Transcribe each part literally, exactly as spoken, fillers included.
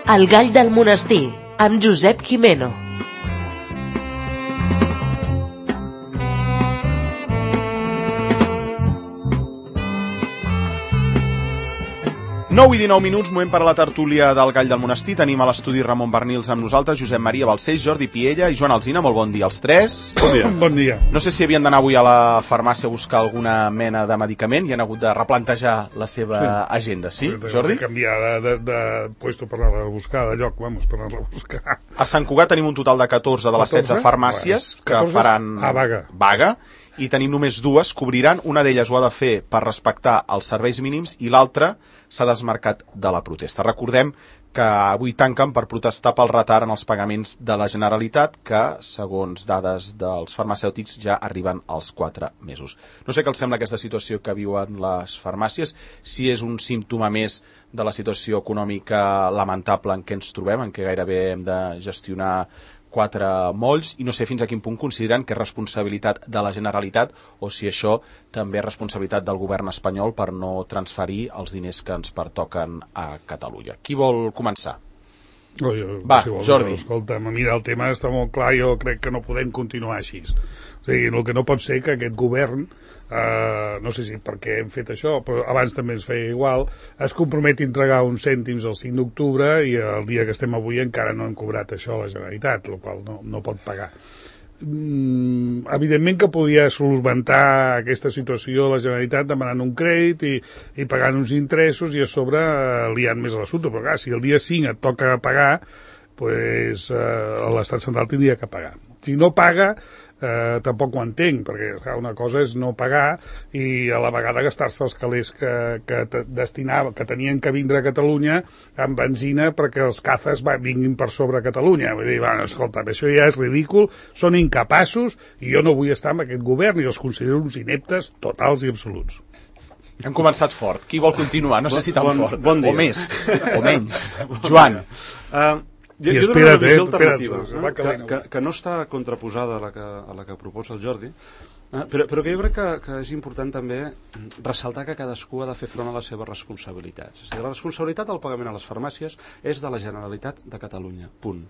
El gall del monestir, amb Josep Gimeno. nou i dinou minuts, moment per a la tertúlia del Gall del Monestir. Tenim a l'estudi Ramon Bernils amb nosaltres, Josep Maria Balcells, Jordi Piella i Joan Alsina. Molt bon dia als tres. Bon dia. Bon dia. No sé si havien d'anar avui a la farmàcia a buscar alguna mena de medicament i han hagut de replantejar la seva sí. agenda, sí, de, Jordi? De canviar de, de, de puesto per anar a buscar, de lloc, vamos, per anar a buscar. A Sant Cugat tenim un total de catorze de les setze farmàcies bueno, que faran a vaga. vaga. I tenim només dues, cobriran, una d'elles ho ha de fer per respectar els serveis mínims i l'altra s'ha desmarcat de la protesta. Recordem que avui tanquen per protestar pel retard en els pagaments de la Generalitat, que, segons dades dels farmacèutics, ja arriben als quatre mesos. No sé què els sembla aquesta situació que viuen les farmàcies, si és un símptoma més de la situació econòmica lamentable en què ens trobem, en què gairebé hem de gestionar quatre molls, i no sé fins a quin punt consideren que és responsabilitat de la Generalitat o si això també és responsabilitat del govern espanyol per no transferir els diners que ens pertoquen a Catalunya. Qui vol començar? Oh, jo, Va, si vols, Jordi. Escolta, mira, el tema està molt clar, jo crec que no podem continuar així. O sigui, el que no pot ser que aquest govern, eh, no sé si per què hem fet això, però abans també es feia igual, es comprometi a entregar uns cèntims el cinc d'octubre i el dia que estem avui encara no hem cobrat això a la Generalitat, el qual no, no pot pagar. Mm, evidentment que podia solventar aquesta situació la Generalitat demanant un crèdit i, i pagant uns interessos i a sobre eh, liant més a l'assumpte, però clar, si el dia cinc et toca pagar, pues, eh, l'Estat central tindria que pagar. Si no paga, eh, tampoc ho entenc, perquè clar, una cosa és no pagar i a la vegada gastar-se els calés que, que destinava, que tenien que vindre a Catalunya amb benzina perquè els cazas va, vinguin per sobre a Catalunya. Vull dir, bueno, escolta, això ja és ridícul, són incapaços i jo no vull estar amb aquest govern i els considero uns ineptes totals i absoluts. Hem començat fort. Qui vol continuar? No sé si tan bon, fort. Bon dia. O més, o menys. Joan. Uh, jo, I jo dono una visió eh, alternativa, espera't, eh, que, que, que no està contraposada a la que, a la que proposa el Jordi, eh, però, però que jo crec que, que és important també ressaltar que cadascú ha de fer front a les seves responsabilitats. És a dir, la responsabilitat del pagament a les farmàcies és de la Generalitat de Catalunya, punt.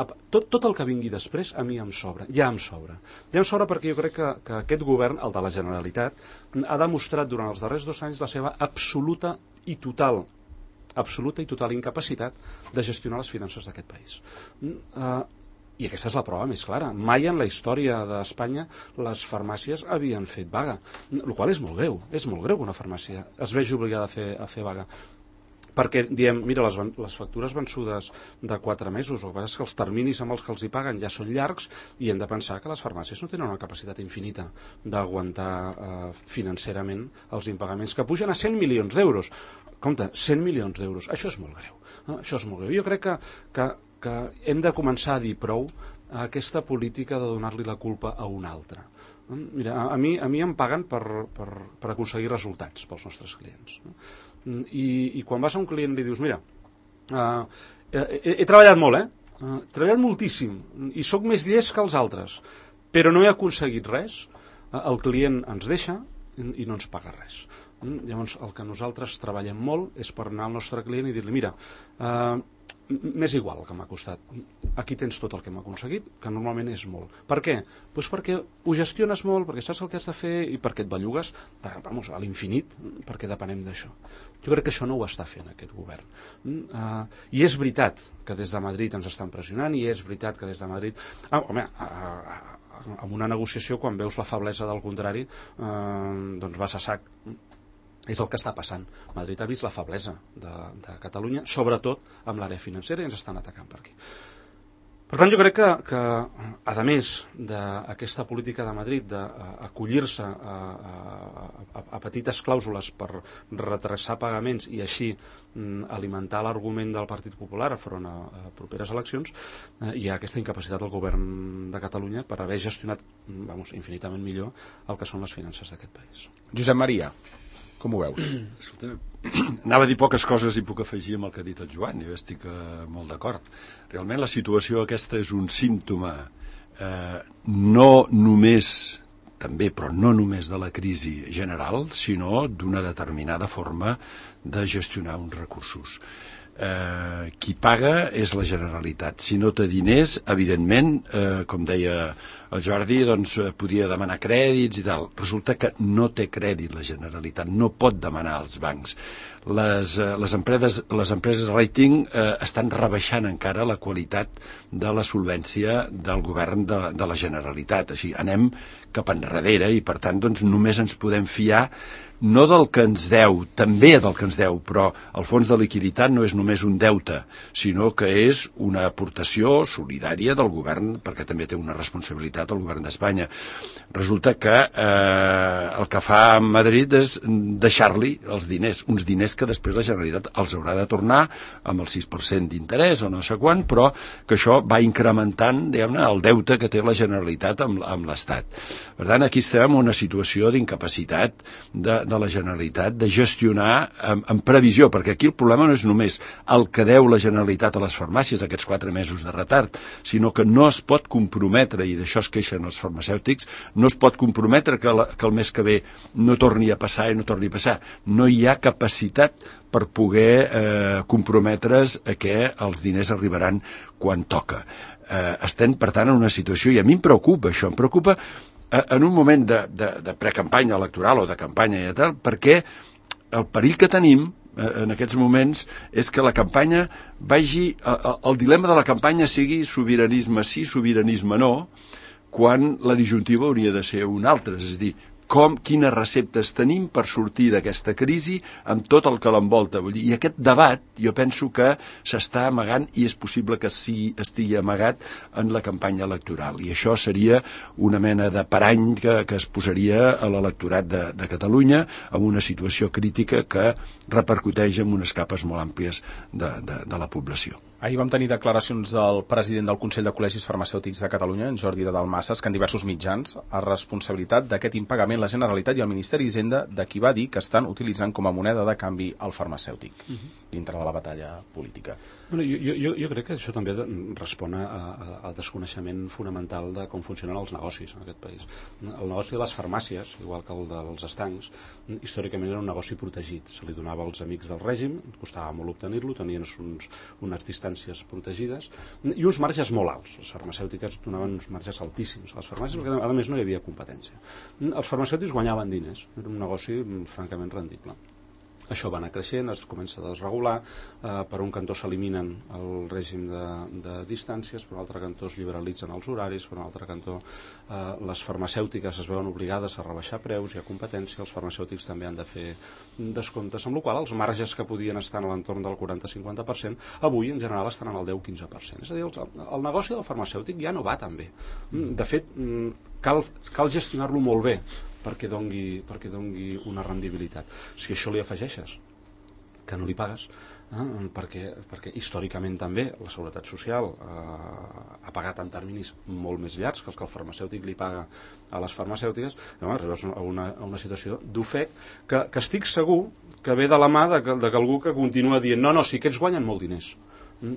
Tot, tot el que vingui després a mi em sobra, ja em sobra. Ja em sobra perquè jo crec que, que aquest govern, el de la Generalitat, ha demostrat durant els darrers dos anys la seva absoluta i total absoluta i total incapacitat de gestionar les finances d'aquest país. Uh, I aquesta és la prova més clara. Mai en la història d'Espanya les farmàcies havien fet vaga, el qual és molt greu. És molt greu que una farmàcia es vegi obligada a fer, a fer vaga. Perquè diem, mira, les, les factures vençudes de quatre mesos, el que passa és que els terminis amb els que els hi paguen ja són llargs i hem de pensar que les farmàcies no tenen una capacitat infinita d'aguantar eh, financerament els impagaments que pugen a cent milions d'euros. Compte, cent milions d'euros, això és molt greu. Eh? Això és molt greu. Jo crec que, que, que hem de començar a dir prou a aquesta política de donar-li la culpa a un altre. Eh? Mira, a, a, mi, a mi em paguen per, per, per aconseguir resultats pels nostres clients. Eh? I, i quan vas a un client li dius, mira, uh, he, he treballat molt, eh? Uh, he treballat moltíssim i sóc més llest que els altres, però no he aconseguit res, uh, el client ens deixa i, i no ens paga res. Mm? Llavors, el que nosaltres treballem molt és per anar al nostre client i dir-li, mira, uh, m'és igual el que m'ha costat, aquí tens tot el que m'ha aconseguit, que normalment és molt. Per què? Pues perquè ho gestiones molt, perquè saps el que has de fer i perquè et bellugues eh, vamos, a l'infinit, perquè depenem d'això. Jo crec que això no ho està fent aquest govern. Mm? Uh, I és veritat que des de Madrid ens estan pressionant i és veritat que des de Madrid... Ah, home, uh, uh, amb una negociació, quan veus la feblesa del contrari, uh, doncs vas a sac. És el que està passant. Madrid ha vist la feblesa de, de Catalunya, sobretot amb l'àrea financera, i ens estan atacant per aquí. Per tant, jo crec que, que a més d'aquesta política de Madrid d'acollir-se a, a, a, a petites clàusules per retrasar pagaments i així mm, alimentar l'argument del Partit Popular enfront a, a properes eleccions, eh, hi ha aquesta incapacitat del govern de Catalunya per haver gestionat vamos, infinitament millor el que són les finances d'aquest país. Josep Maria, com ho veus? Escolta, anava a dir poques coses i puc afegir amb el que ha dit el Joan, jo estic eh, molt d'acord. Realment la situació aquesta és un símptoma eh, no només, també, però no només de la crisi general, sinó d'una determinada forma de gestionar uns recursos. eh, qui paga és la Generalitat. Si no té diners, evidentment, eh, com deia el Jordi, doncs podia demanar crèdits i tal. Resulta que no té crèdit la Generalitat, no pot demanar als bancs. Les, eh, les, empreses, les empreses rating eh, estan rebaixant encara la qualitat de la solvència del govern de, de la Generalitat. Així anem cap enrere i, per tant, doncs, només ens podem fiar no del que ens deu, també del que ens deu, però el fons de liquiditat no és només un deute, sinó que és una aportació solidària del govern, perquè també té una responsabilitat el govern d'Espanya. Resulta que eh, el que fa Madrid és deixar-li els diners, uns diners que després la Generalitat els haurà de tornar amb el sis per cent d'interès o no sé quan, però que això va incrementant, diguem-ne, el deute que té la Generalitat amb, amb l'Estat. Per tant, aquí estem en una situació d'incapacitat de, de la Generalitat de gestionar en, en previsió, perquè aquí el problema no és només el que deu la Generalitat a les farmàcies aquests quatre mesos de retard, sinó que no es pot comprometre, i d'això es queixen els farmacèutics, no es pot comprometre que, la, que el mes que ve no torni a passar i no torni a passar. No hi ha capacitat per poder eh, comprometre's a que els diners arribaran quan toca. Eh, estem, per tant, en una situació, i a mi em preocupa això, em preocupa en un moment de, de, de precampanya electoral o de campanya i tal, perquè el perill que tenim en aquests moments és que la campanya vagi, el dilema de la campanya sigui sobiranisme sí, sobiranisme no, quan la disjuntiva hauria de ser un altre, és a dir, com, quines receptes tenim per sortir d'aquesta crisi amb tot el que l'envolta. Vull dir, i aquest debat jo penso que s'està amagant i és possible que sí estigui amagat en la campanya electoral. I això seria una mena de parany que, que es posaria a l'electorat de, de Catalunya en una situació crítica que repercuteix en unes capes molt àmplies de, de, de la població. Ahir vam tenir declaracions del president del Consell de Col·legis Farmacèutics de Catalunya, en Jordi de Dalmases, que en diversos mitjans ha responsabilitat d'aquest impagament la Generalitat i el Ministeri d'Hisenda de qui va dir que estan utilitzant com a moneda de canvi el farmacèutic uh-huh. dintre de la batalla política. Bueno, jo, jo, jo crec que això també respon al desconeixement fonamental de com funcionen els negocis en aquest país. El negoci de les farmàcies, igual que el dels estancs, històricament era un negoci protegit. Se li donava als amics del règim, costava molt obtenir-lo, tenien uns, unes distàncies protegides i uns marges molt alts. Les farmacèutiques donaven uns marges altíssims a les farmàcies, perquè a més no hi havia competència. Els farmacèutics guanyaven diners, era un negoci francament rendible. Això va anar creixent, es comença a desregular, eh, per un cantó s'eliminen el règim de, de distàncies, per un altre cantó es liberalitzen els horaris, per un altre cantó eh, les farmacèutiques es veuen obligades a rebaixar preus, hi ha competència, els farmacèutics també han de fer descomptes, amb la qual cosa els marges que podien estar a l'entorn del quaranta a cinquanta per cent, avui en general estan en el deu a quinze per cent. És a dir, el, el negoci del farmacèutic ja no va tan bé. De fet, cal, cal gestionar-lo molt bé, perquè dongui, perquè dongui una rendibilitat. Si això li afegeixes que no li pagues, eh, perquè, perquè històricament també la Seguretat Social eh, ha pagat en terminis molt més llargs que els que el farmacèutic li paga a les farmacèutiques, llavors arribes a una, a una situació d'ofec que, que estic segur que ve de la mà de, de que algú que continua dient no, no, si aquests guanyen molt diners,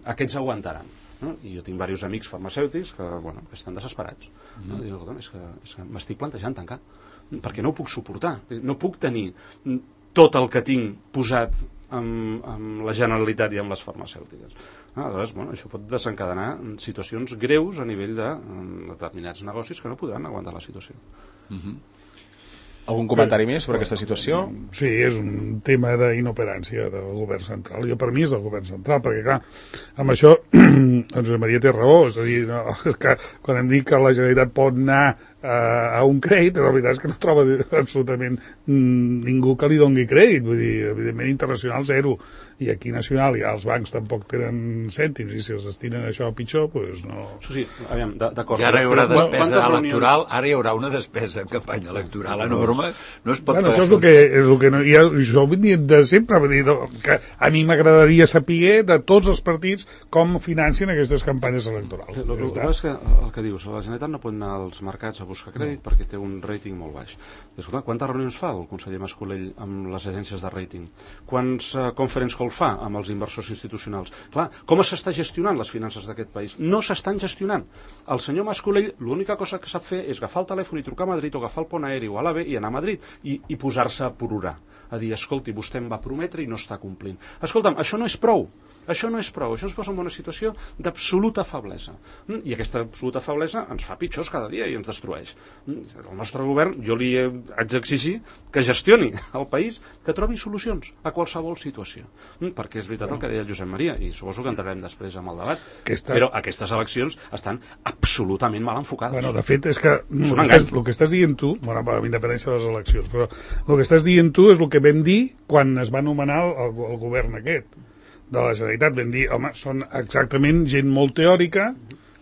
aquests aguantaran. No? I jo tinc diversos amics farmacèutics que, bueno, que estan desesperats. Mm-hmm. No? Dic, és que, és que m'estic plantejant tancar, perquè no ho puc suportar. No puc tenir tot el que tinc posat amb, amb la Generalitat i amb les farmacèutiques. Ah, aleshores, bueno, això pot desencadenar situacions greus a nivell de determinats negocis que no podran aguantar la situació. Mm-hmm. Algun comentari més sobre aquesta situació? Sí, és un tema d'inoperància del govern central. Jo, per mi, és del govern central, perquè, clar, amb això, doncs Maria té raó, és a dir, no, és que quan em dic que la Generalitat pot anar a un crèdit, la veritat és que no troba absolutament ningú que li doni crèdit, vull dir, evidentment internacional zero, i aquí nacional ja els bancs tampoc tenen cèntims, i si els destinen això a pitjor, doncs no... Això sí, aviam, d'acord. I ara hi haurà despesa electoral, ara hi haurà una despesa en campanya electoral enorme, no es pot bueno, pagar... Això és el que, és el que no, ja, jo ho he dit de sempre, vull dir, que a mi m'agradaria saber de tots els partits com financien aquestes campanyes electorals. El, el, el que és que el que dius, la Generalitat no pot anar als mercats a buscar crèdit no. perquè té un rating molt baix. Escolta, quantes reunions fa el conseller Mascolell amb les agències de rating? Quants uh, conference call fa amb els inversors institucionals? Clar, com s'està gestionant les finances d'aquest país? No s'estan gestionant. El senyor Mascolell l'única cosa que sap fer és agafar el telèfon i trucar a Madrid o agafar el pont aeri o a l'AVE i anar a Madrid i, i posar-se a plorar. A dir, escolti, vostè em va prometre i no està complint. Escolta'm, això no és prou. Això no és prou, això ens posa en una situació d'absoluta feblesa. I aquesta absoluta feblesa ens fa pitjors cada dia i ens destrueix. El nostre govern, jo li haig d'exigir que gestioni el país, que trobi solucions a qualsevol situació. Perquè és veritat el que deia el Josep Maria, i suposo que entrarem després amb el debat, aquesta... però aquestes eleccions estan absolutament mal enfocades. Bueno, de fet, és que el que, estàs, el que estàs dient tu, bueno, amb independència de les eleccions, però el que estàs dient tu és el que vam dir quan es va anomenar el, el govern aquest de la Generalitat. Vam dir, home, són exactament gent molt teòrica,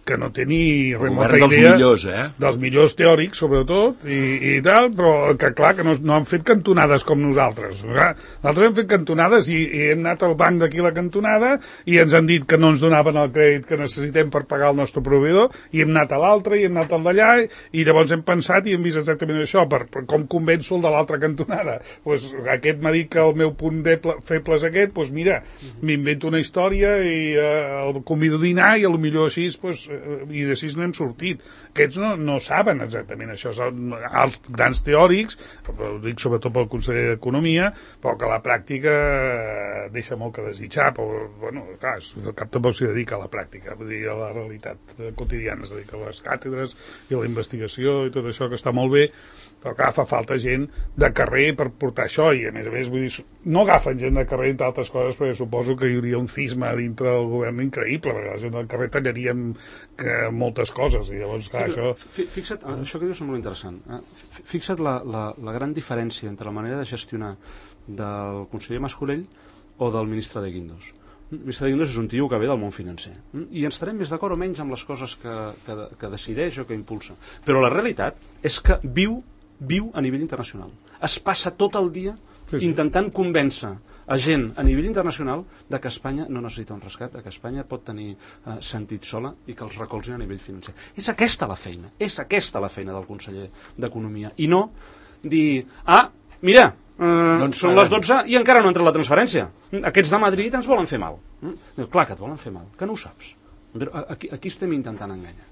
que no té ni remota idea... dels millors, eh? Dels millors teòrics, sobretot, i, i tal, però que, clar, que no, no han fet cantonades com nosaltres. Nosaltres hem fet cantonades i, i hem anat al banc d'aquí la cantonada i ens han dit que no ens donaven el crèdit que necessitem per pagar el nostre proveïdor, i hem anat a l'altre, i hem anat al d'allà, i llavors hem pensat i hem vist exactament això, per, per com convenço el de l'altra cantonada. Pues, aquest m'ha dit que el meu punt deble, feble és aquest, doncs mira, m'invento una història i eh, el convido a dinar i potser així, pues, i d'així n'hem sortit. Aquests no, no saben exactament això. Els grans teòrics, ho dic sobretot pel conseller d'Economia, però que la pràctica deixa molt que desitjar. Però, bueno, clar, el cap tampoc s'hi dedica a la pràctica, vull dir, a la realitat quotidiana, es dedica a les càtedres i a la investigació i tot això, que està molt bé, però clar, fa falta gent de carrer per portar això, i a més a més, vull dir, no agafen gent de carrer entre altres coses, perquè suposo que hi hauria un cisma dintre del govern increïble, perquè la gent del carrer tallaríem que moltes coses, i llavors, clar, sí, això... Fixa't, això que dius és molt interessant. Fixa't la, la, la gran diferència entre la manera de gestionar del conseller Mas-Colell o del ministre de Guindos. El ministre de Guindos és un tio que ve del món financer. I ens estarem més d'acord o menys amb les coses que, que, que decideix o que impulsa. Però la realitat és que viu, viu a nivell internacional. Es passa tot el dia sí, sí. intentant convèncer a gent a nivell internacional de que Espanya no necessita un rescat, de que Espanya pot tenir eh, sentit sola i que els recolzin a nivell financer. És aquesta la feina, és aquesta la feina del conseller d'Economia. I no dir, ah, mira, eh, no són les dotze i encara no entra la transferència. Aquests de Madrid ens volen fer mal. Mm? Clar que et volen fer mal, que no ho saps. Però aquí, aquí estem intentant enganyar.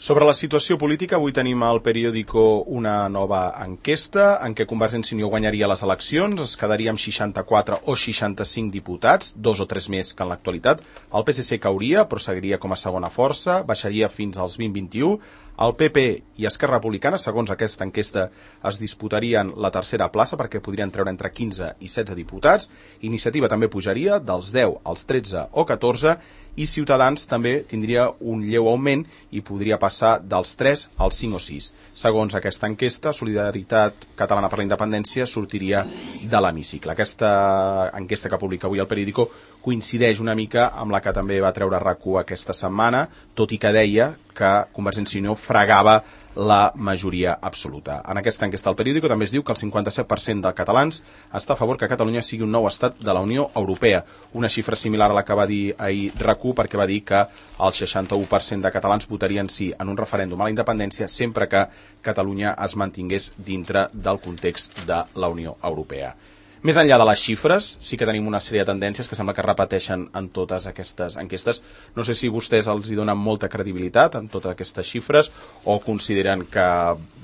Sobre la situació política, avui tenim al periòdico una nova enquesta en què Convergència i Unió guanyaria les eleccions, es quedaria amb seixanta-quatre o seixanta-cinc diputats, dos o tres més que en l'actualitat. El P S C cauria, però seguiria com a segona força, baixaria fins als vint a vint i u. El P P i Esquerra Republicana, segons aquesta enquesta, es disputarien la tercera plaça perquè podrien treure entre quinze i setze diputats. Iniciativa també pujaria dels deu als tretze o catorze i Ciutadans també tindria un lleu augment i podria passar dels tres als cinc o sis. Segons aquesta enquesta, Solidaritat Catalana per la Independència sortiria de l'hemicicle. Aquesta enquesta que publica avui el periòdico coincideix una mica amb la que també va treure RAC1 aquesta setmana, tot i que deia que Convergència i Unió fregava la majoria absoluta. En aquesta enquesta del periòdico també es diu que el cinquanta-set per cent dels catalans està a favor que Catalunya sigui un nou estat de la Unió Europea, una xifra similar a la que va dir ahir RAC1, perquè va dir que el seixanta-u per cent de catalans votarien sí en un referèndum a la independència sempre que Catalunya es mantingués dintre del context de la Unió Europea. Més enllà de les xifres, sí que tenim una sèrie de tendències que sembla que repeteixen en totes aquestes enquestes. No sé si vostès els hi donen molta credibilitat en totes aquestes xifres o consideren que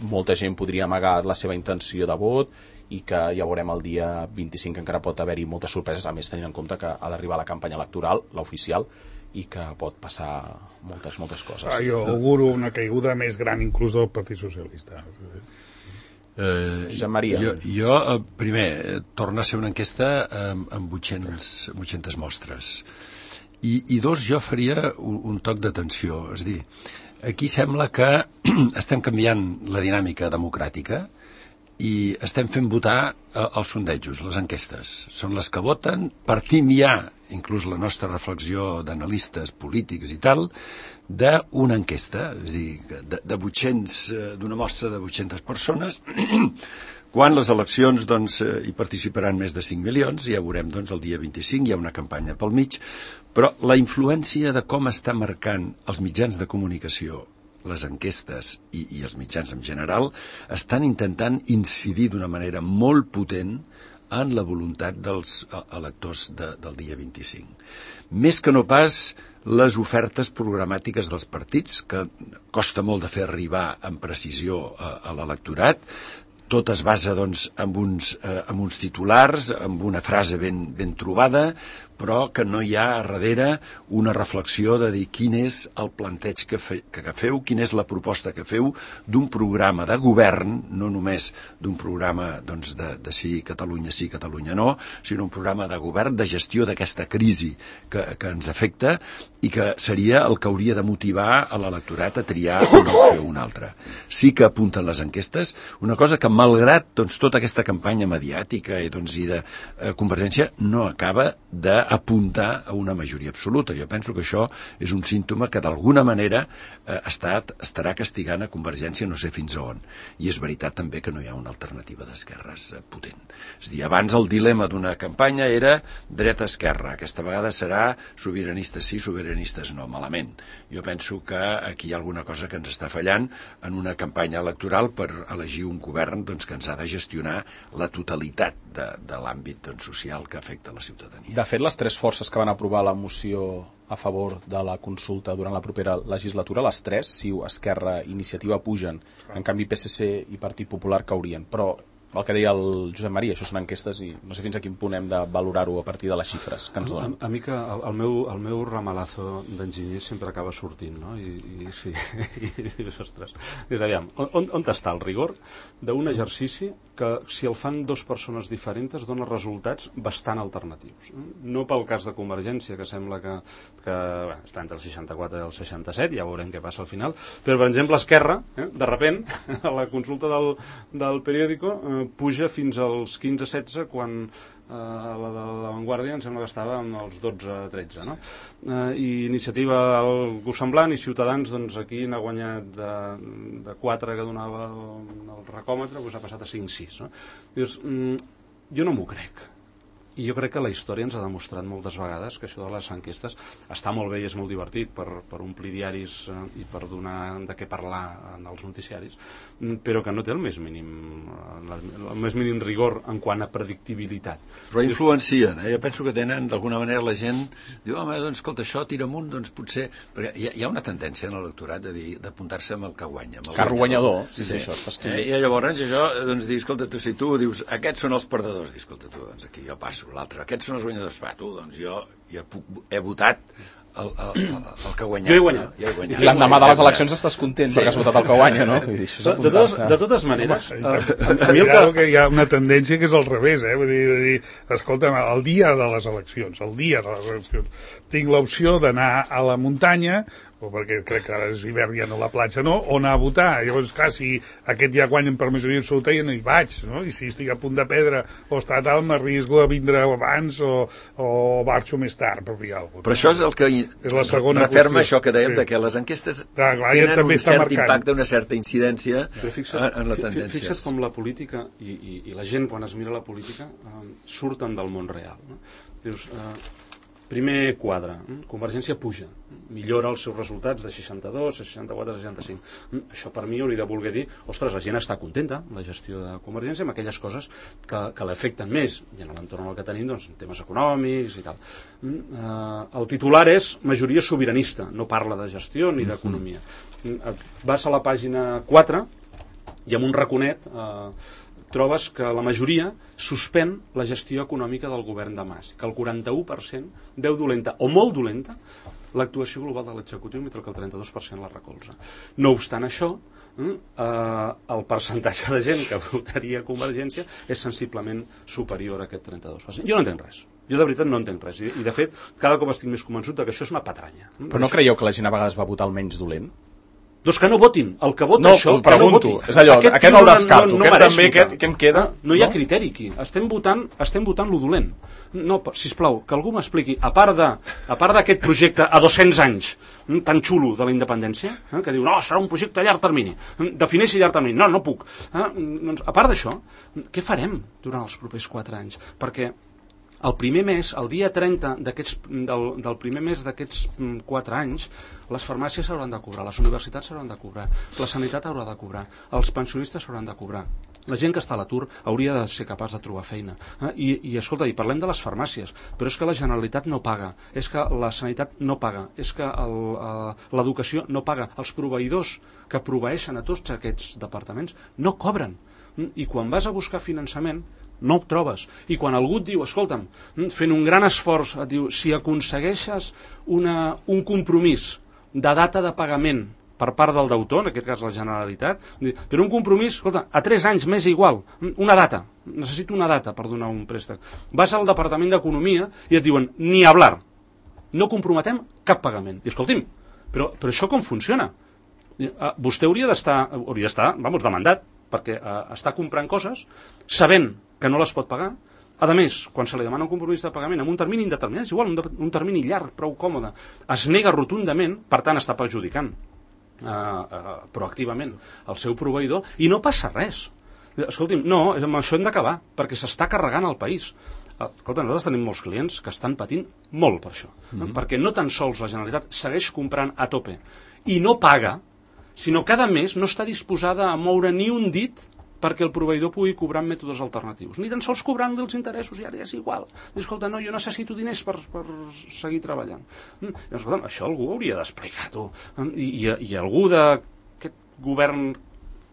molta gent podria amagar la seva intenció de vot i que ja veurem el dia vint-i-cinc que encara pot haver-hi moltes sorpreses, a més tenint en compte que ha d'arribar la campanya electoral, l'oficial, i que pot passar moltes, moltes coses. Ah, jo auguro una caiguda més gran inclús del Partit Socialista. Eh, Josep Maria. Jo, jo eh, primer, eh, torna a ser una enquesta eh, amb vuit-centes mostres. I, I dos, jo faria un, un toc d'atenció. És a dir, aquí sembla que estem canviant la dinàmica democràtica i estem fent votar eh, els sondejos, les enquestes. Són les que voten, partim ja, inclús la nostra reflexió d'analistes polítics i tal, d'una enquesta, és a dir, de, de vuit-cents, d'una mostra de vuit-centes persones, quan les eleccions doncs, hi participaran més de cinc milions, ja veurem doncs, el dia vint-i-cinc, hi ha una campanya pel mig, però la influència de com està marcant els mitjans de comunicació, les enquestes i, i els mitjans en general, estan intentant incidir d'una manera molt potent en la voluntat dels electors de, del dia vint-i-cinc. Més que no pas les ofertes programàtiques dels partits, que costa molt de fer arribar amb precisió a, a l'electorat. Tot es basa doncs, en, uns, eh, en uns titulars, amb una frase ben, ben trobada, però que no hi ha a darrere una reflexió de dir quin és el planteig que, fe, que, que feu, quina és la proposta que feu d'un programa de govern, no només d'un programa doncs, de, de sí Catalunya sí, Catalunya no, sinó un programa de govern, de gestió d'aquesta crisi que, que ens afecta i que seria el que hauria de motivar a l'electorat a triar una opció o una altra. Sí que apunten les enquestes, una cosa que malgrat doncs, tota aquesta campanya mediàtica i, doncs, i de eh, Convergència no acaba d'apuntar a una majoria absoluta. Jo penso que això és un símptoma que d'alguna manera eh, estat, estarà castigant a Convergència, no sé fins a on. I és veritat també que no hi ha una alternativa d'esquerres eh, potent. És a dir, abans el dilema d'una campanya era dreta-esquerra. Aquesta vegada serà sobiranistes sí, sobiranistes no. Malament. Jo penso que aquí hi ha alguna cosa que ens està fallant en una campanya electoral per elegir un govern doncs, que ens ha de gestionar la totalitat de, de l'àmbit doncs, social que afecta la ciutadania. De fet, les tres forces que van aprovar la moció a favor de la consulta durant la propera legislatura, les tres, CiU, Esquerra, Iniciativa, pugen. En canvi, P S C i Partit Popular caurien. Però el que deia el Josep Maria, això són enquestes i no sé fins a quin punt hem de valorar-ho a partir de les xifres que ens donen. A, a mi que el, el, meu, el meu ramalazo d'enginyer sempre acaba sortint, no? I, i sí, i dius, ostres, dius, aviam, on, on està el rigor d'un exercici que si el fan dues persones diferents dona resultats bastant alternatius. No pel cas de Convergència, que sembla que, que bé, està entre el seixanta-quatre i el seixanta-set, ja veurem què passa al final, però per exemple Esquerra, eh, de repent, a la consulta del, del periòdico, eh, puja fins als quinze setze quan eh, la de la Vanguardia em sembla que estava amb els dotze tretze, no? Eh, i Iniciativa algú semblant i Ciutadans doncs aquí n'ha guanyat de, de quatre que donava el, el recòmetre, doncs ha passat a cinc sis, no? Dius, mm, jo no m'ho crec. I jo crec que la història ens ha demostrat moltes vegades que això de les enquestes està molt bé i és molt divertit per, per omplir diaris eh, i per donar de què parlar en els noticiaris, però que no té el més mínim, el més mínim rigor en quant a predictibilitat. Però influencien, eh? Jo penso que tenen, d'alguna manera la gent diu, home, doncs escolta, això tira amunt, doncs potser... Perquè hi ha, hi ha una tendència en l'electorat de dir, d'apuntar-se amb el que guanya. Amb el Carro guanyador, sí, sí, sí. Això està eh, I llavors això, doncs, dir, escolta, tu, si tu dius, aquests són els perdedors, dir, escolta, tu, doncs aquí jo passo. L'altre, aquests són els guanyadors, va, tu, doncs jo, jo puc, he votat el, el, el, el que ha guanyat. Jo he guanyat. Jo he guanyat. L'endemà de les eleccions estàs content sí. perquè has votat el que guanya, no? Vull dir, de, de, totes, de totes maneres, Home, a, a mi el que... que hi ha una tendència que és al revés, eh? Vull dir, de dir, escolta'm, el dia de les eleccions, el dia de les eleccions, tinc l'opció d'anar a la muntanya, o perquè crec que ara és hivern i ja no a la platja, no? O anar a votar. Llavors, clar, si aquest ja guanyen per majoria absoluta, ja no hi vaig, no? I si estic a punt de perdre o està tal, m'arrisco a vindre abans o, o marxo més tard, per dir alguna cosa. Però això és el que és la segona referma qüestió. això que dèiem, sí. de que les enquestes clar, clar, tenen un cert marcant. impacte, una certa incidència fixa't, en la tendència. Fixa't com la política i, i, i la gent, quan es mira la política, eh, surten del món real. No? Dius... Eh, Primer quadre, Convergència puja, millora els seus resultats de seixanta-dos, seixanta-quatre, seixanta-cinc. Això per mi hauria de voler dir, ostres, la gent està contenta, la gestió de Convergència, amb aquelles coses que, que l'afecten més, i en l'entorn que tenim, doncs, temes econòmics i tal. El titular és majoria sobiranista, no parla de gestió ni d'economia. Vas a la pàgina quatre i amb un raconet... Eh, trobes que la majoria suspèn la gestió econòmica del govern de Mas, que el quaranta-u per cent veu dolenta o molt dolenta l'actuació global de l'executiu, mentre que el trenta-dos per cent la recolza. No obstant això, eh, el percentatge de gent que votaria Convergència és sensiblement superior a aquest trenta-dos per cent. Jo no entenc res. Jo de veritat no entenc res. I, i de fet, cada cop estic més convençut que això és una patranya. Però no creieu que la gent a vegades va votar el menys dolent? Doncs que no votin. El que vota no, això, que no voti. És allò, aquest, aquest el descarto, no, no aquest també, aquest, què em queda? Ah, no hi ha no? criteri aquí. Estem votant, estem votant lo dolent. No, sisplau, que algú m'expliqui, a part de, a part d'aquest projecte a dos-cents anys, tan xulo de la independència, eh, que diu, no, serà un projecte a llarg termini. Defineixi llarg termini. No, no puc. Eh, doncs, a part d'això, què farem durant els propers quatre anys? Perquè el primer mes, el dia trenta del, del primer mes d'aquests quatre anys, les farmàcies s'hauran de cobrar, les universitats s'hauran de cobrar, la sanitat haurà de cobrar, els pensionistes s'hauran de cobrar. La gent que està a l'atur hauria de ser capaç de trobar feina. Eh? I, I, escolta, i parlem de les farmàcies, però és que la Generalitat no paga, és que la sanitat no paga, és que l'educació no paga. Els proveïdors que proveeixen a tots aquests departaments no cobren. i quan vas a buscar finançament no ho trobes. I quan algú et diu, escolta'm, fent un gran esforç, et diu, si aconsegueixes una, un compromís de data de pagament per part del deutor, en aquest cas la Generalitat, però un compromís, escolta, a tres anys m'és igual, una data, necessito una data per donar un préstec. Vas al Departament d'Economia i et diuen, ni hablar, no comprometem cap pagament. I escolti'm, però, però això com funciona? Vostè hauria d'estar, hauria d'estar, vamos, demandat, perquè uh, està comprant coses sabent que no les pot pagar. A més, quan se li demana un compromís de pagament amb un termini indeterminat, és igual, un, de, un termini llarg, prou còmode, es nega rotundament, per tant està perjudicant uh, uh, proactivament el seu proveïdor, i no passa res. Escolti'm, no, amb això hem d'acabar, perquè s'està carregant el país. Escolta, nosaltres tenim molts clients que estan patint molt per això, mm-hmm. perquè no tan sols la Generalitat segueix comprant a tope i no paga, sinó cada mes no està disposada a moure ni un dit perquè el proveïdor pugui cobrar amb mètodes alternatius. Ni tan sols cobrant els interessos, i ara és igual. I, escolta, no, jo necessito diners per, per seguir treballant. I, escolta, això algú hauria d'explicar, tu. I, i, i algú d'aquest govern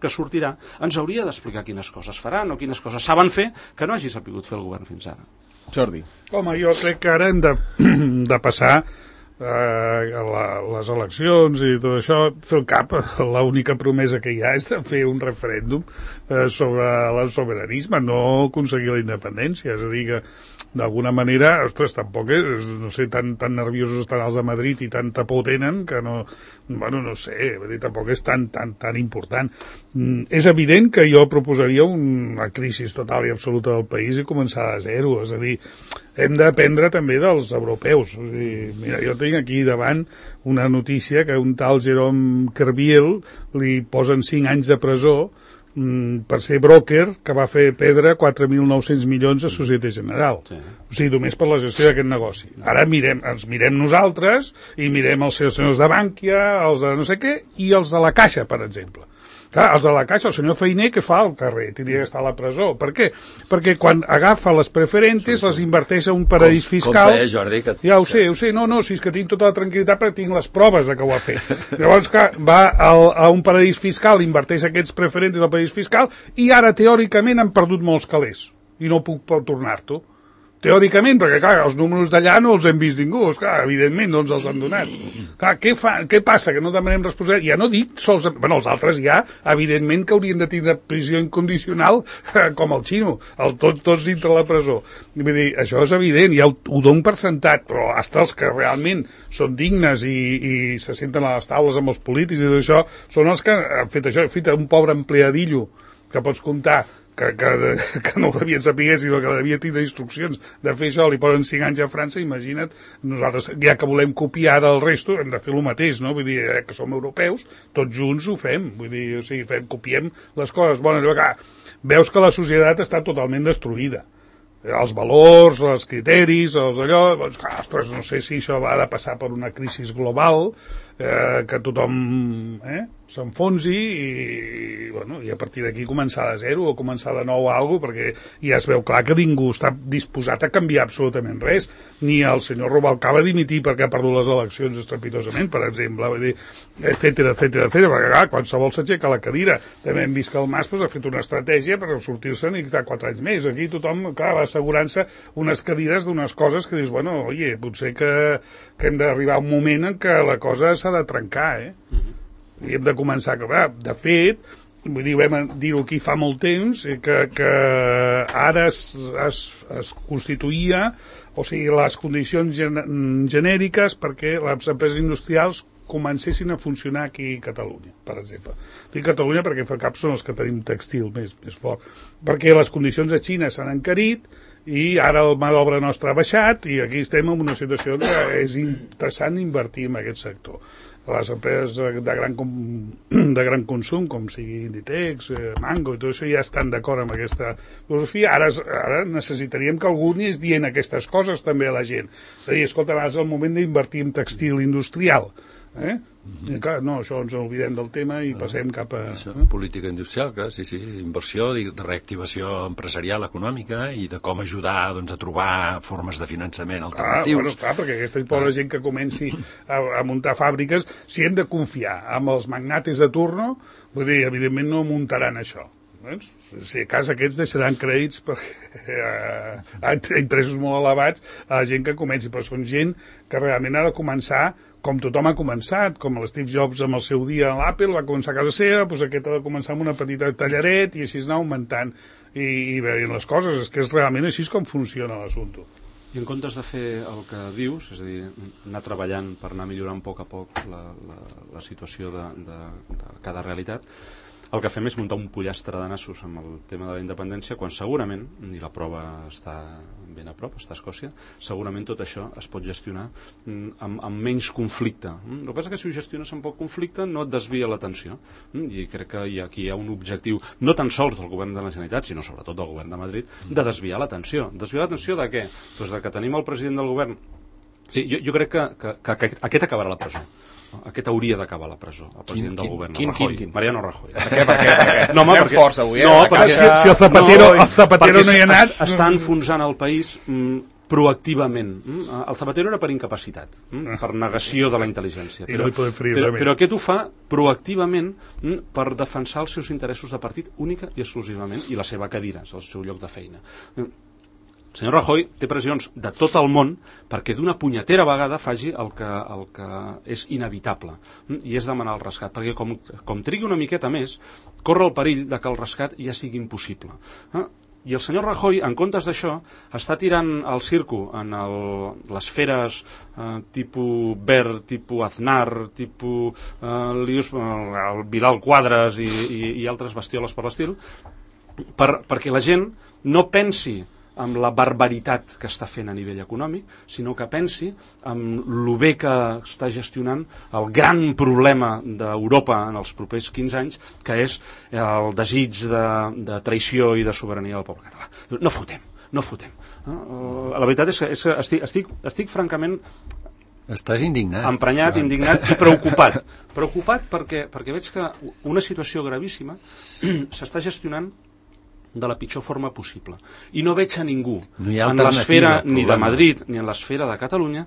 que sortirà ens hauria d'explicar quines coses faran o quines coses saben fer que no hagi sapigut fer el govern fins ara. Jordi. Home, jo crec que ara hem de, de passar eh, la, les eleccions i tot això, fer el cap, l'única promesa que hi ha és de fer un referèndum eh, sobre el sobiranisme, no aconseguir la independència, és a dir que d'alguna manera, ostres, tampoc és, no sé, tan, tan nerviosos estan els de Madrid i tanta por tenen que no, bueno, no sé, dir, tampoc és tan, tan, tan important. Mm, és evident que jo proposaria una crisi total i absoluta del país i començar de zero, és a dir, hem d'aprendre també dels europeus. És a dir, mira, jo tinc aquí davant una notícia que un tal Jérôme Kerviel li posen cinc anys de presó per ser broker que va fer perdre quatre mil nou-cents milions a Societe General. Sí. O sigui, només per la gestió d'aquest negoci. Ara mirem, ens mirem nosaltres i mirem els senyors de Bànquia, els de no sé què, i els de la Caixa, per exemple. Clar, els de la Caixa, el senyor Feiner, què fa al carrer? Tindria que estar a la presó. Per què? Perquè quan agafa les preferentes, sí, sí. les inverteix a un paradís fiscal... Compte, eh, Jordi, que... Ja ho sé, ho sé. No, no, si és que tinc tota la tranquil·litat perquè tinc les proves de que ho ha fet. Llavors, clar, va al, a un paradís fiscal, inverteix aquests preferentes al paradís fiscal i ara, teòricament, han perdut molts calés. I no puc tornar-t'ho. Teòricament, perquè, clar, els números d'allà no els hem vist ningú, clar, evidentment no ens els han donat. Clar, què, fa, què passa? Que no demanem responsabilitat? Ja no dic sols... Bueno, els altres ja, evidentment que haurien de tindre prisió incondicional com el xino, el, tots, tots dintre la presó. Vull dir, això és evident, ja ho, ho dono per sentat, però hasta els que realment són dignes i, i se senten a les taules amb els polítics i tot això, són els que han fet això. Han fet un pobre empleadillo que pots comptar Que, que, que no ho devien saber, sinó que devia tindre instruccions de fer això, li posen cinc anys a França, imagina't, nosaltres, ja que volem copiar del resto, hem de fer el mateix, no? Vull dir, eh, que som europeus, tots junts ho fem, vull dir, o sigui, fem, copiem les coses bones, que veus que la societat està totalment destruïda. Els valors, els criteris, els allò, doncs, clar, ostres, no sé si això va de passar per una crisi global, eh, que tothom eh, s'enfonsi i, bueno, i a partir d'aquí començar de zero o començar de nou a alguna cosa, perquè ja es veu clar que ningú està disposat a canviar absolutament res, ni el senyor Rubalcaba a dimitir perquè ha perdut les eleccions estrepitosament, per exemple, vull dir, etcètera, etcètera, etcètera, perquè clar, qualsevol s'aixeca a la cadira. També hem vist que el Mas pues, ha fet una estratègia per sortir-se'n i estar quatre anys més. Aquí tothom, clar, va assegurant-se unes cadires d'unes coses que dius, bueno, oye, potser que, que hem d'arribar a un moment en què la cosa s'ha de trencar, eh? Mm-hmm. I hem de començar a acabar. De fet, vull dir, vam dir-ho aquí fa molt temps, que, que ara es, es, es constituïa, o sigui, les condicions gen genèriques perquè les empreses industrials comencessin a funcionar aquí a Catalunya, per exemple. Dic Catalunya perquè fa cap són els que tenim textil més, més fort. Perquè les condicions a Xina s'han encarit i ara el mà d'obra nostre ha baixat i aquí estem en una situació que és interessant invertir en aquest sector. Les empreses de gran, com, de gran consum, com sigui Inditex, eh, Mango i tot això, ja estan d'acord amb aquesta filosofia. Ara, ara necessitaríem que algú anés dient aquestes coses també a la gent. És a dir, escolta, és el moment d'invertir en textil industrial. Eh? Mm-hmm. I clar, no, això ens oblidem del tema i passem cap a... Això, política industrial, clar, sí, sí, inversió, de reactivació empresarial econòmica i de com ajudar doncs, a trobar formes de finançament alternatius. Ah, bueno, clar, perquè aquesta pobra ah. gent que comenci a, a muntar fàbriques, si hem de confiar amb els magnates de turno, vull dir, evidentment no muntaran això. Doncs, si a cas aquests deixaran crèdits perquè eh, a interessos molt elevats a la gent que comenci, però són gent que realment ha de començar com tothom ha començat, com l'Steve Jobs amb el seu dia a l'Apple va començar a casa seva, doncs aquest ha de començar amb una petita tallaret i així anar augmentant i, i veient les coses, és que és realment així com funciona l'assumpte. I en comptes de fer el que dius, és a dir, anar treballant per anar millorant a poc a poc la, la, la situació de, de, de cada realitat, el que fem és muntar un pollastre de nassos amb el tema de la independència, quan segurament, i la prova està ben a prop, està a Escòcia, segurament tot això es pot gestionar amb, amb menys conflicte. El que passa és que si ho gestiones amb poc conflicte no et desvia l'atenció. I crec que hi ha, aquí hi ha un objectiu, no tan sols del govern de la Generalitat, sinó sobretot del govern de Madrid, de desviar l'atenció. Desviar l'atenció de què? Doncs de que tenim el president del govern. Sí, jo, jo crec que, que, que, que aquest acabarà a la presó. Aquest hauria d'acabar a la presó, el president quin, del govern, quin, Rajoy, quin, quin? Mariano Rajoy. Per què, per què, per què? No, home, Anem perquè, forts avui, eh? No, perquè, si, si el Zapatero no, el Zapatero no hi ha anat... Està enfonsant el país mm, proactivament. Mm? El Zapatero era per incapacitat, mm? per negació de la intel·ligència. Però, no però, però aquest ho fa proactivament mm? per defensar els seus interessos de partit única i exclusivament, i la seva cadira, el seu lloc de feina. El senyor Rajoy té pressions de tot el món perquè d'una punyetera vegada faci el que, el que és inevitable, i és demanar el rescat, perquè com, com trigui una miqueta més, corre el perill de que el rescat ja sigui impossible. I el senyor Rajoy, en comptes d'això, està tirant el circo en el, les feres eh, tipus Wert, tipus Aznar, tipus eh, Lius, el Vidal Quadras i, i, i altres bestioles per l'estil, per, perquè la gent no pensi amb la barbaritat que està fent a nivell econòmic, sinó que pensi amb el bé que està gestionant el gran problema d'Europa en els propers quinze anys, que és el desig de, de traïció i de sobirania del poble català. No fotem, no fotem. La veritat és que, és que estic, estic, estic francament... Estàs indignat. Emprenyat, Joan. Indignat i preocupat. Preocupat perquè, perquè veig que una situació gravíssima s'està gestionant de la pitjor forma possible. I no veig a ningú no en l'esfera ni de Madrid ni en l'esfera de Catalunya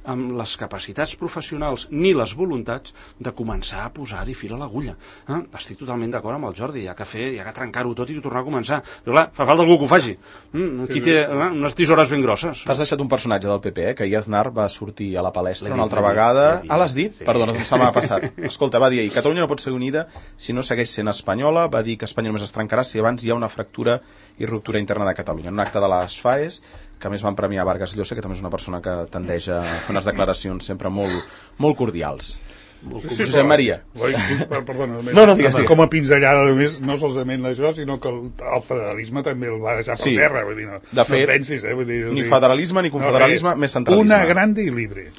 amb les capacitats professionals ni les voluntats de començar a posar-hi fil a l'agulla. Eh? Estic totalment d'acord amb el Jordi, hi ha que fer, hi ha que trencar-ho tot i tornar a començar. Però clar, fa falta algú que ho faci. Mm? Aquí té eh, unes tisores ben grosses. T'has deixat un personatge del P P, eh? Que ahir Aznar va sortir a la palestra una altra vegada. Ah, l'has dit? Sí. Perdona, se m'ha passat. Escolta, va dir ahir, Catalunya no pot ser unida si no segueix sent espanyola, va dir que Espanya només es trencarà si abans hi ha una fractura i ruptura interna de Catalunya. En un acte de les FAES, que a més van premiar Vargas Llosa, que també és una persona que tendeix a fer unes declaracions sempre molt, molt cordials. Sí, sí, Josep Maria. Perdona, no, no, digues, digues. Com a pinzellada només, no solament això, sinó que el, el federalisme també el va deixar per sí. terra. Vull dir, no, de fet, no pensis, eh? Vull dir, ni federalisme ni confederalisme, no, més centralisme. Una grande i libre.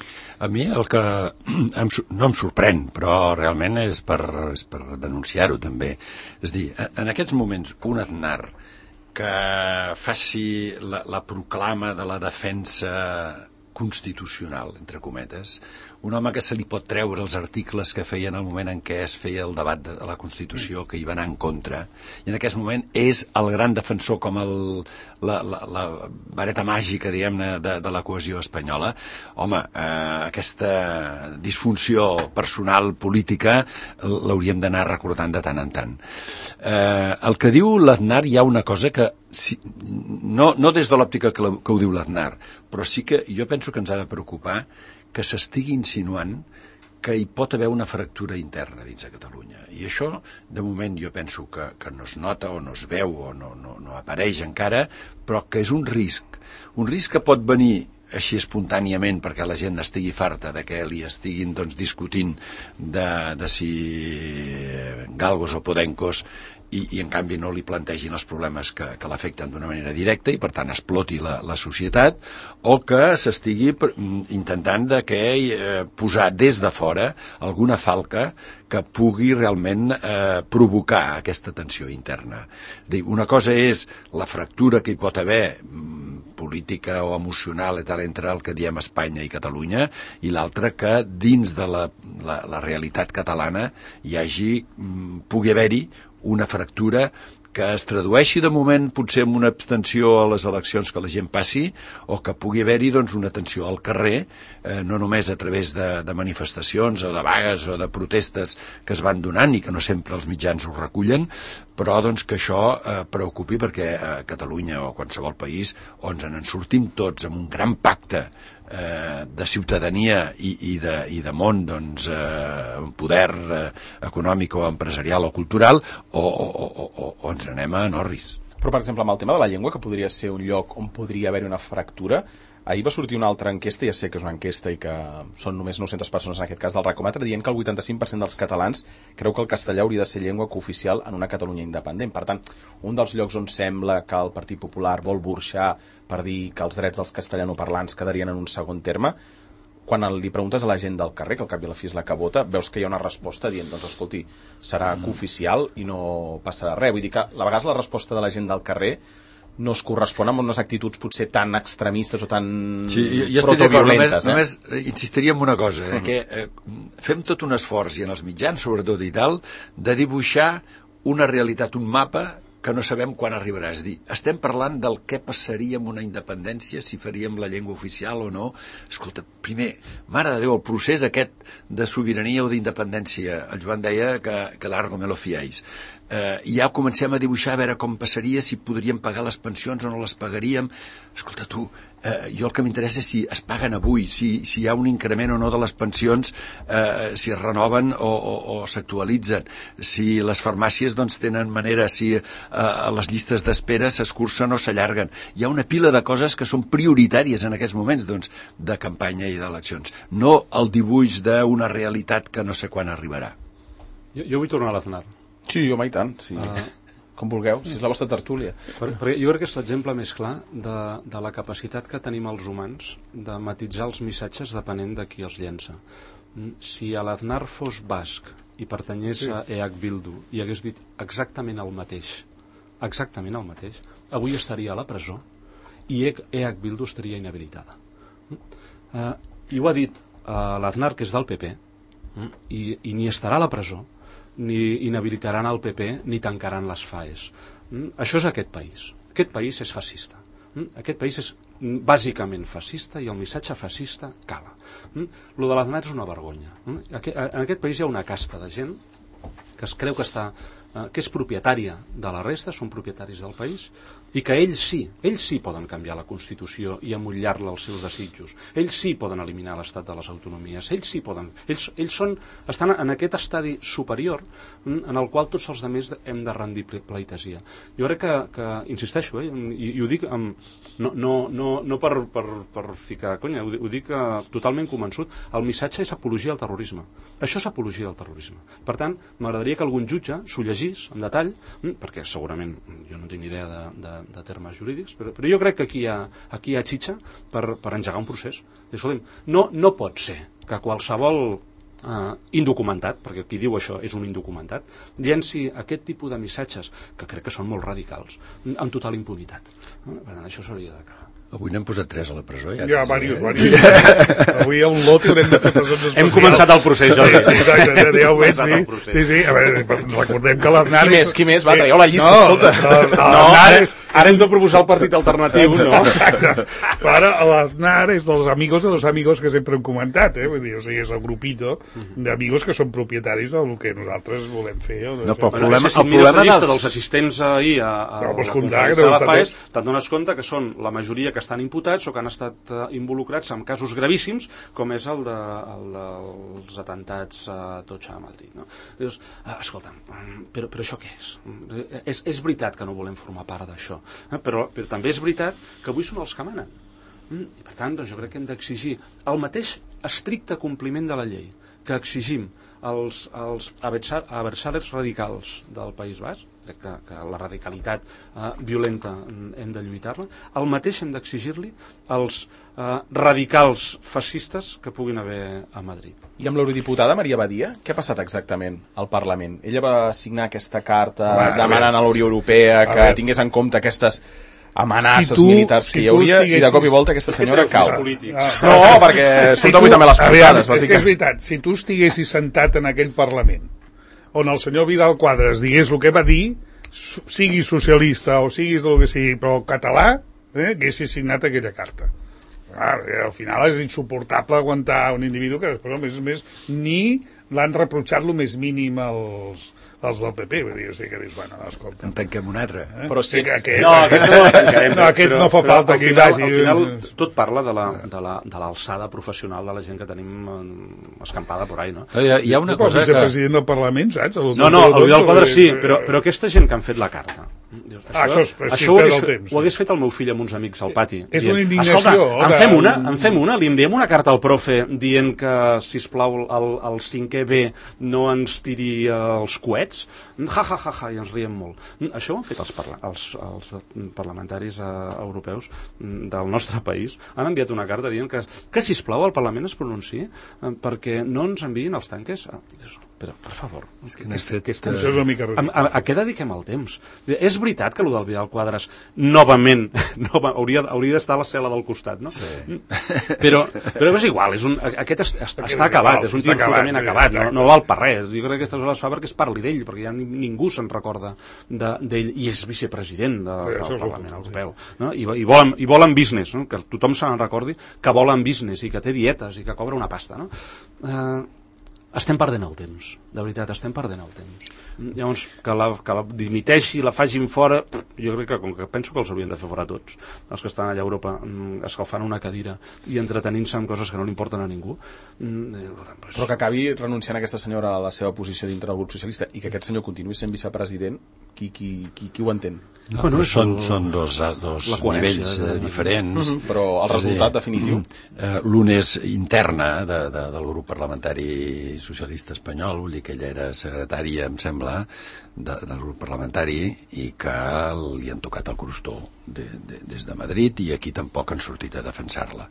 A mi el que em, no em sorprèn, però realment és per, és per denunciar-ho també. És dir, en aquests moments un Aznar que faci la, la proclama de la defensa constitucional, entre cometes, un home que se li pot treure els articles que feia en el moment en què es feia el debat de la Constitució, que hi va anar en contra, i en aquest moment és el gran defensor, com el, la, la, la vareta màgica, diguem-ne, de, de la cohesió espanyola. Home, eh, aquesta disfunció personal política l'hauríem d'anar recordant de tant en tant. Eh, el que diu l'Aznar, hi ha una cosa que, si, no, no des de l'òptica que, la, que ho diu l'Aznar, però sí que jo penso que ens ha de preocupar que s'estigui insinuant que hi pot haver una fractura interna dins de Catalunya. I això, de moment, jo penso que, que no es nota o no es veu o no, no, no apareix encara, però que és un risc. Un risc que pot venir així espontàniament perquè la gent estigui farta de que li estiguin doncs, discutint de, de si galgos o podencos i, i en canvi no li plantegin els problemes que, que l'afecten d'una manera directa i per tant exploti la, la societat, o que s'estigui intentant de que, eh, posar des de fora alguna falca que pugui realment eh, provocar aquesta tensió interna. Dir, una cosa és la fractura que hi pot haver política o emocional i tal, entre el que diem Espanya i Catalunya, i l'altra que dins de la, la, la realitat catalana hi hagi, pugui haver-hi una fractura que es tradueixi de moment potser en una abstenció a les eleccions que la gent passi, o que pugui haver-hi doncs, una tensió al carrer, eh, no només a través de, de manifestacions o de vagues o de protestes que es van donant i que no sempre els mitjans ho recullen, però doncs, que això eh, preocupi, perquè a Catalunya o a qualsevol país on ens en sortim tots amb un gran pacte eh, de ciutadania i, i, de, i de món, doncs, eh, poder eh, econòmic o empresarial o cultural, o, o, o, o, o ens anem a Norris. Però, per exemple, amb el tema de la llengua, que podria ser un lloc on podria haver-hi una fractura, ahir va sortir una altra enquesta, ja sé que és una enquesta i que són només nou-centes persones en aquest cas del Racomatre, dient que el vuitanta-cinc per cent dels catalans creu que el castellà hauria de ser llengua cooficial en una Catalunya independent. Per tant, un dels llocs on sembla que el Partit Popular vol burxar per dir que els drets dels castellanoparlants quedarien en un segon terme, quan li preguntes a la gent del carrer, que al cap i a la fi és la que vota, veus que hi ha una resposta dient, doncs escolti, serà cooficial i no passarà res. Vull dir que a vegades la resposta de la gent del carrer no es correspon amb unes actituds potser tan extremistes o tan sí, jo protoviolentes. Només, eh? només insistiria en una cosa, eh, uh-huh. que eh, fem tot un esforç, i en els mitjans sobretot i tal, de dibuixar una realitat, un mapa que no sabem quan arribarà. És dir, estem parlant del què passaria amb una independència, si faríem la llengua oficial o no. Escolta, primer, mare de Déu, el procés aquest de sobirania o d'independència, el Joan deia que, que largo me lo fiáis. Eh, ja comencem a dibuixar a veure com passaria, si podríem pagar les pensions o no les pagaríem. Escolta tu, eh, jo el que m'interessa és si es paguen avui, si, si hi ha un increment o no de les pensions, eh, si es renoven o, o, o s'actualitzen, si les farmàcies doncs, tenen manera, si eh, les llistes d'espera s'escurcen o s'allarguen. Hi ha una pila de coses que són prioritàries en aquests moments doncs, de campanya i d'eleccions. No el dibuix d'una realitat que no sé quan arribarà. Jo, jo vull tornar a l'Aznar. Sí, home, i tant, sí. Uh, com vulgueu, si és la vostra tertúlia. Per, perquè jo crec que és l'exemple més clar de, de la capacitat que tenim els humans de matitzar els missatges depenent de qui els llença. Si l'Aznar fos basc i pertanyés sí. a E H Bildu i hagués dit exactament el mateix, exactament el mateix, avui estaria a la presó i E H Bildu estaria inhabilitada. Uh, I ho ha dit uh, l'Aznar, que és del P P, uh, i, i ni estarà a la presó, ni inhabilitaran el P P, ni tancaran les FAES. Mm? Això és aquest país. Aquest país és fascista. Mm? Aquest país és bàsicament fascista i el missatge fascista cala. Mm? Lo de l'Aznar és una vergonya. Mm? En aquest país hi ha una casta de gent que es creu que està eh, que és propietària de la resta, són propietaris del país, i que ells sí, ells sí poden canviar la Constitució i amollar-la als seus desitjos. Ells sí poden eliminar l'estat de les autonomies. Ells sí poden. Ells, ells són, estan en aquest estadi superior en el qual tots els altres hem de rendir pleitesia. Jo crec que, que insisteixo, eh, i, i ho dic amb, no, no, no, no per, per, per ficar conya, ho, ho dic eh, totalment convençut, el missatge és apologia al terrorisme. Això és apologia al terrorisme. Per tant, m'agradaria que algun jutge s'ho llegís en detall, perquè segurament jo no tinc ni idea de, de, de termes jurídics, però, però jo crec que aquí hi ha, aquí hi ha xitxa per, per engegar un procés. Escolta'm, no, no pot ser que qualsevol eh, indocumentat, perquè qui diu això és un indocumentat, llenci aquest tipus de missatges, que crec que són molt radicals, amb total impunitat. Per tant, això s'hauria d'acabar. Avui n'hem posat tres a la presó. Ja, ja diversos, diversos. Avui a un lot i haurem de fer presons especials. Hem començat el procés, Jordi. Exacte, ja ho veig, sí. Sí, sí, a veure, recordem que l'Aznar... Qui més, qui més? Va, traieu la llista, no, escolta. No, no, no ara, ara hem de proposar el partit alternatiu, no? Exacte. Però ara l'Aznar és dels amigos de los amigos que sempre hem comentat, eh? Vull dir, o sigui, és el grupito d'amigos que són propietaris del que nosaltres volem fer. O no, però el bueno, problema, si el problema la llista dels... dels assistents ahir a, a no, la comptar, conferència de la FAES, tots... te'n dones compte que són la majoria que estan imputats o que han estat uh, involucrats en casos gravíssims, com és el, de, el dels atentats a Atocha a Madrid. No? Dius, uh, escolta'm, però, però això què és? és? És veritat que no volem formar part d'això, eh? però, però també és veritat que avui són els que manen. Mm? I per tant, doncs, jo crec que hem d'exigir el mateix estricte compliment de la llei que exigim als, als adversaris radicals del País Basc, crec que, que la radicalitat eh, violenta hem de lluitar-la, el mateix hem d'exigir-li als eh, radicals fascistes que puguin haver a Madrid. I amb l'eurodiputada Maria Badia, què ha passat exactament al Parlament? Ella va signar aquesta carta Va, demanant a, a la Unió Europea que tingués en compte aquestes amenaces si tu, militars que si hi hauria i de cop i volta aquesta senyora cau. Ah, no, perquè si són també les portades. És que és veritat, si tu estiguessis sentat en aquell Parlament on el senyor Vidal Quadras digués el que va dir, sigui socialista o siguis el que sigui, però català, eh, haguessis signat aquella carta. Clar, al final és insuportable aguantar un individu que després, a més a més, ni l'han reprotxat el més mínim als, els del P P, vull dir, o sigui que dius, bueno, escolta... En tanquem un altre. Eh? Però si ets... Aquest, no, aquest no, tancarem, no, aquest però, no fa però falta al que hi final, vagi. al final tot parla de la, de la, de l'alçada professional de la gent que tenim escampada por ahí, no? Hi ha, hi ha una no, cosa que... president del Parlament, saps? El No, no, el Vidal Quadras sí, però, però aquesta gent que han fet la carta, dius, Ah, això, això, això ho, hagués, fet, ho hagués fet el meu fill amb uns amics al pati. És dient, una indignació. Escolta, en de... fem una, en fem una, li enviem una carta al profe dient que, sisplau, el, el cinquè B no ens tiri els coets? Ja, ja, ja, ja, i ens riem molt. Això ho han fet els, parla els, els parlamentaris eh, europeus del nostre país. Han enviat una carta dient que, que sisplau, el Parlament es pronunciï eh, perquè no ens enviïn els tanques. Ah, dius, però, per favor, és que, que, que, que estem... Això és una mica a, a, a què dediquem el temps? És veritat que el del Vidal Quadras novament nova, hauria, hauria d'estar a la cel·la del costat, no? Sí. Però, però és igual, és un, aquest est, est, està acabat, és un tio absolutament sí, acabat, no, no val per res. Jo crec que aquestes coses es fa perquè es parli d'ell, perquè ja ningú se'n recorda d'ell, de, i és vicepresident de, sí, del Parlament Europeu. No? I, i, volen, I volen business, no? Que tothom se n'en recordi que volen business i que té dietes i que cobra una pasta. No? Eh, estem perdent el temps, de veritat, estem perdent el temps. Llavors, que la, que la dimiteixi, la facin fora, jo crec que, com que penso que els haurien de fer fora tots, els que estan allà a Europa escalfant una cadira i entretenint-se amb coses que no li importen a ningú. Pues... Però que acabi renunciant aquesta senyora a la seva posició dintre del grup socialista i que aquest senyor continuï sent vicepresident, qui, qui, qui, qui ho entén? No, bueno, són, són dos, dos nivells eh, diferents. Mm -hmm, però el resultat dir, definitiu? Eh, L'un és interna de, de, del grup parlamentari socialista espanyol, vull dir que ella era secretària, em sembla, de, del grup parlamentari i que li han tocat el crostó de, de, des de Madrid i aquí tampoc han sortit a defensar-la.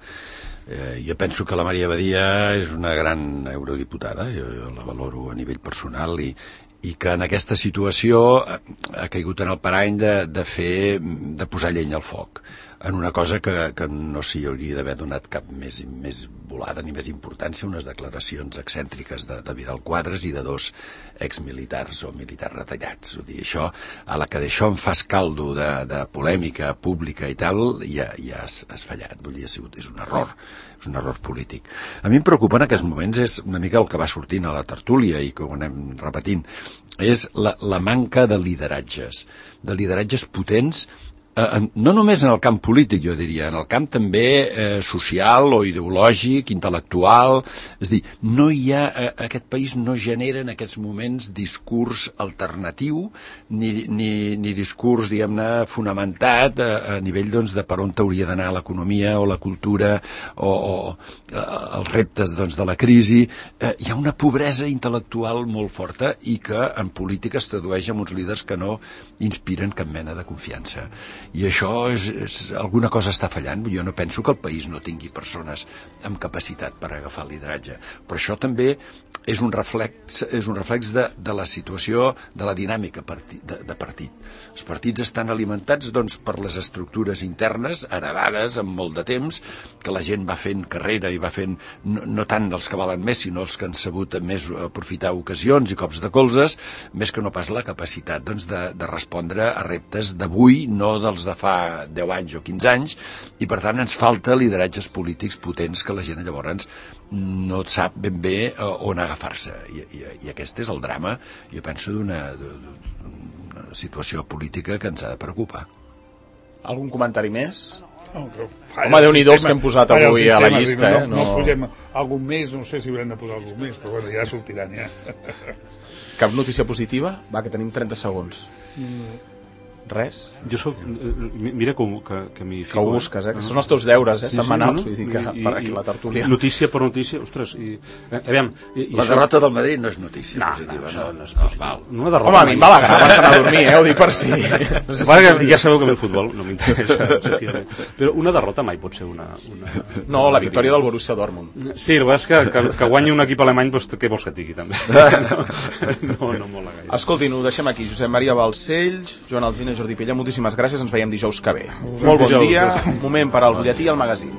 Eh, jo penso que la Maria Badia és una gran eurodiputada, jo, jo la valoro a nivell personal i i que en aquesta situació ha caigut en el parany de, de fer, de posar llenya al foc en una cosa que, que no s'hi hauria d'haver donat cap més, més volada ni més importància, unes declaracions excèntriques de, de Vidal Quadras i de dos exmilitars o militars retallats. Vull dir, això, a la que d'això en fas caldo de, de polèmica pública i tal, ja, ja has, has fallat. Vull dir, és un error, és un error polític. A mi em preocupa en aquests moments és una mica el que va sortint a la tertúlia i que ho anem repetint, és la, la manca de lideratges, de lideratges potents, eh, no només en el camp polític, jo diria, en el camp també eh, social o ideològic, intel·lectual, és a dir, no hi ha, eh, aquest país no genera en aquests moments discurs alternatiu, ni, ni, ni discurs, diguem-ne, fonamentat a, a nivell doncs, de per on hauria d'anar l'economia o la cultura o, o eh, els reptes doncs, de la crisi. Eh, hi ha una pobresa intel·lectual molt forta i que en política es tradueix en uns líders que no inspiren cap mena de confiança. I això és, és, alguna cosa està fallant. Jo no penso que el país no tingui persones amb capacitat per agafar el lideratge, però això també és un reflex, és un reflex de, de la situació, de la dinàmica parti, de, de partit. Els partits estan alimentats doncs, per les estructures internes, heredades amb molt de temps, que la gent va fent carrera i va fent, no, no tant els que valen més, sinó els que han sabut més aprofitar ocasions i cops de colzes, més que no pas la capacitat doncs, de, de respondre a reptes d'avui, no dels de fa deu anys o quinze anys, i per tant ens falta lideratges polítics potents que la gent llavors no sap ben bé on agafar-se. I, i, i aquest és el drama, jo penso, d'una situació política que ens ha de preocupar. Algun comentari més? No, home, Déu-n'hi-do els que hem posat avui a la llista. No, eh? no, no posem algun més, no sé si haurem de posar algun més, però bueno, ja sortiran, ja. Cap notícia positiva? Va, que tenim trenta segons. Mm. Res? Jo soc... Mira que, que, que m'hi fico... Que ho busques, eh? Que són els teus deures, eh? Sí, setmanals, sí, no? vull dir que I, per aquí la tertúlia. Notícia per notícia, ostres, i... Eh, aviam, i, i la això... derrota del Madrid no és notícia no, positiva, no, no? no és positiva. No, no, Home, a mi em va alegar abans d'anar a dormir, eh? Ho dic per si... No sé si ja sabeu que el futbol no m'interessa excessivament. Però una derrota mai pot ser una... una... No, la victòria del Borussia Dortmund. Sí, el que és que, que, que guanyi un equip alemany, doncs, què vols que et digui, també? No, no, no mola gaire. Escoltin, ho deixem aquí. Josep Maria Balcells, Joan Alsina, Jordi Pella, moltíssimes gràcies. Ens veiem dijous que ve. Molt bon dia. Moment per al butlletí i al magazín.